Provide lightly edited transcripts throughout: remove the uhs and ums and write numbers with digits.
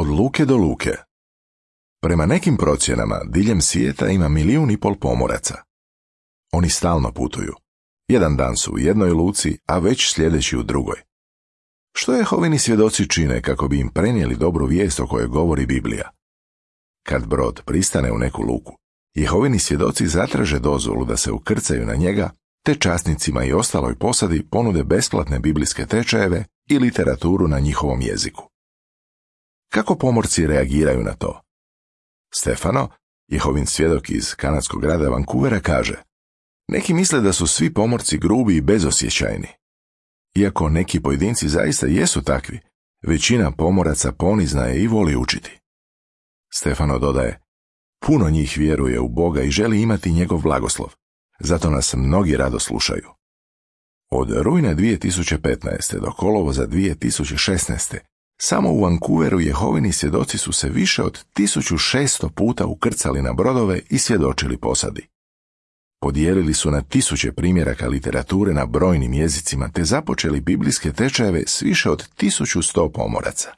Od luke do luke. Prema nekim procjenama, diljem svijeta ima 1,5 milijuna pomoraca. Oni stalno putuju. Jedan dan su u jednoj luci, a već sljedeći u drugoj. Što Jehovini svjedoci čine kako bi im prenijeli dobru vijest o kojoj govori Biblija? Kad brod pristane u neku luku, Jehovini svjedoci zatraže dozvolu da se ukrcaju na njega, te časnicima i ostaloj posadi ponude besplatne biblijske tečajeve i literaturu na njihovom jeziku. Kako pomorci reagiraju na to? Stefano, Jehovin svjedok iz kanadskog grada Vancouvera, kaže: neki misle da su svi pomorci grubi i bezosjećajni. Iako neki pojedinci zaista jesu takvi, većina pomoraca ponizna je i voli učiti. Stefano dodaje: puno njih vjeruje u Boga i želi imati njegov blagoslov, zato nas mnogi rado slušaju. Od rujna 2015. do kolovoza 2016. samo u Vancouveru Jehovini svjedoci su se više od 1600 puta ukrcali na brodove i svjedočili posadi. Podijelili su na 1000 primjeraka literature na brojnim jezicima te započeli biblijske tečajeve s više od 1100 pomoraca.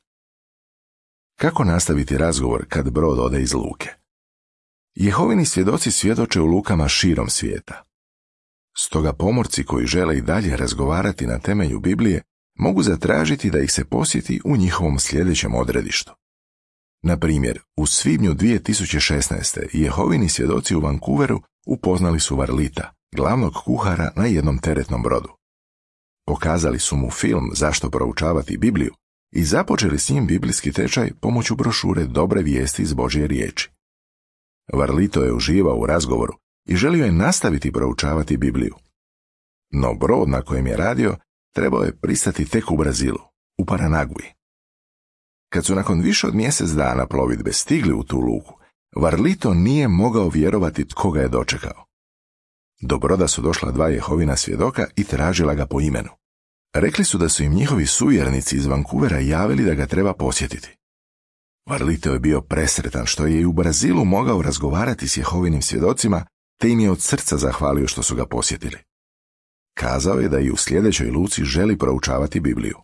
Kako nastaviti razgovor kad brod ode iz luke? Jehovini svjedoci svjedoče u lukama širom svijeta. Stoga pomorci koji žele i dalje razgovarati na temelju Biblije mogu zatražiti da ih se posjeti u njihovom sljedećem odredištu. Na primjer, u svibnju 2016. Jehovini svjedoci u Vancouveru upoznali su Varlita, glavnog kuhara na jednom teretnom brodu. Pokazali su mu film Zašto proučavati Bibliju i započeli s njim biblijski tečaj pomoću brošure Dobre vijesti iz Božje riječi. Varlito je uživao u razgovoru i želio je nastaviti proučavati Bibliju. No brod na kojem je radio trebao je pristati tek u Brazilu, u Paranagui. Kad su nakon više od mjesec dana plovidbe stigli u tu luku, Varlito nije mogao vjerovati tko ga je dočekao. Do broda su došla 2 Jehovina svjedoka i tražila ga po imenu. Rekli su da su im njihovi suvjernici iz Vancouvera javili da ga treba posjetiti. Varlito je bio presretan što je i u Brazilu mogao razgovarati s Jehovinim svjedocima, te im je od srca zahvalio što su ga posjetili. Kazao je da i u sljedećoj luci želi proučavati Bibliju.